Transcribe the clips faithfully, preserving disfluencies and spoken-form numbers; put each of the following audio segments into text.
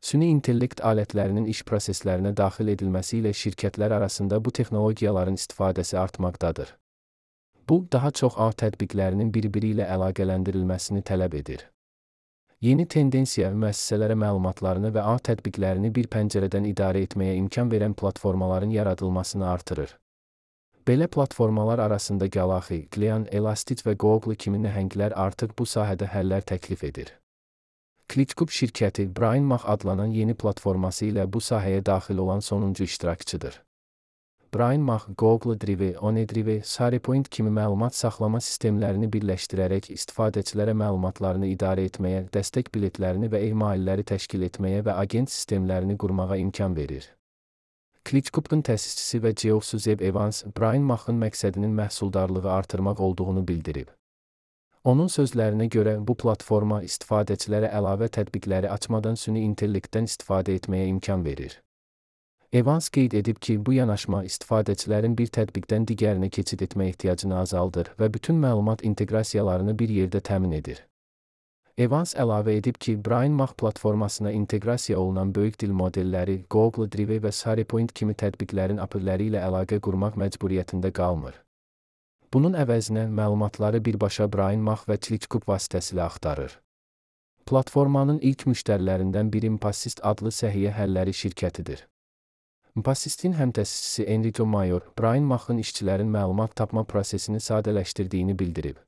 Süni intellekt alətlərinin iş proseslərinə daxil edilməsi ilə şirkətlər arasında bu texnologiyaların istifadəsi artmaqdadır. Bu, daha çox ağ tətbiqlərinin bir-biri ilə əlaqələndirilməsini tələb edir. Yeni tendensiya müəssisələrə məlumatlarını və ağ tətbiqlərini bir pəncərədən idarə etməyə imkan verən platformaların yaradılmasını artırır. Belə platformalar arasında Galaxy, Glean, Elastic və Google kimi nəhənglər artıq bu sahədə həllər təklif edir. ClickUp şirkəti Brian Mach adlanan yeni platforması ilə bu sahəyə daxil olan sonuncu iştirakçıdır. Brian Mach, Google Drive, OneDrive, SharePoint kimi məlumat saxlama sistemlərini birləşdirərək istifadəçilərə məlumatlarını idarə etməyə, dəstək biletlərini və e-mailləri təşkil etməyə və agent sistemlərini qurmağa imkan verir. ClickUp'un təsisçisi və C E O-su Zeb Evans, Brian Mach'ın məqsədinin məhsuldarlığı artırmaq olduğunu bildirib. Onun sözlərinə görə, bu platforma istifadəçilərə əlavə tətbiqləri açmadan süni intellektdən istifadə etməyə imkan verir. Evans qeyd edib ki, bu yanaşma istifadəçilərin bir tətbiqdən digərinə keçid etmə ehtiyacını azaldır və bütün məlumat inteqrasiyalarını bir yerdə təmin edir. Evans əlavə edib ki, Brian Mach platformasına inteqrasiya olunan böyük dil modelləri, Google Drive və SharePoint kimi tətbiqlərin API-ləri ilə əlaqə qurmaq məcburiyyətində qalmır. Bunun əvəzinə məlumatları birbaşa Brian Mach və ClickUp vasitəsilə axtarır. Platformanın ilk müştərilərindən biri Mpassist adlı səhiyyə həlləri şirkətidir. Mpassistin həmtəsisçisi Enrico Mayor, Brian Mach'ın işçilərin məlumat tapma prosesini sadələşdirdiyini bildirib.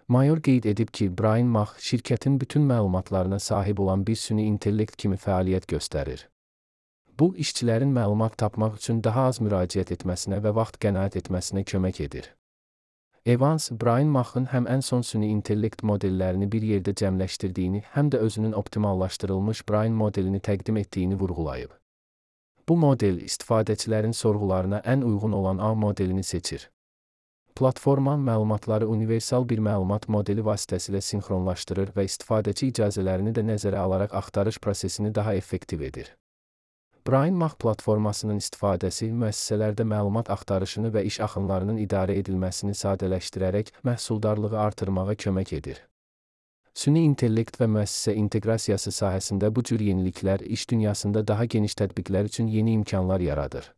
Mayor qeyd edib ki, Brian Mach şirkətin bütün məlumatlarına sahib olan bir süni intellekt kimi fəaliyyət göstərir. Bu, işçilərin məlumat tapmaq üçün daha az müraciət etməsinə və vaxt qənaət etməsinə kömək edir. Evans, Brian Mach'ın həm ən son süni intellekt modellərini bir yerdə cəmləşdirdiyini, həm də özünün optimallaşdırılmış Brian modelini təqdim etdiyini vurğulayıb. Bu model istifadəçilərin sorğularına ən uyğun olan A modelini seçir. Platforma məlumatları universal bir məlumat modeli vasitəsilə sinxronlaşdırır və istifadəçi icazələrini də nəzərə alaraq axtarış prosesini daha effektiv edir. Brian Mach platformasının istifadəsi müəssisələrdə məlumat axtarışını və iş axınlarının idarə edilməsini sadələşdirərək məhsuldarlığı artırmağa kömək edir. Süni intellekt və müəssisə inteqrasiyası sahəsində bu cür yeniliklər iş dünyasında daha geniş tətbiqlər üçün yeni imkanlar yaradır.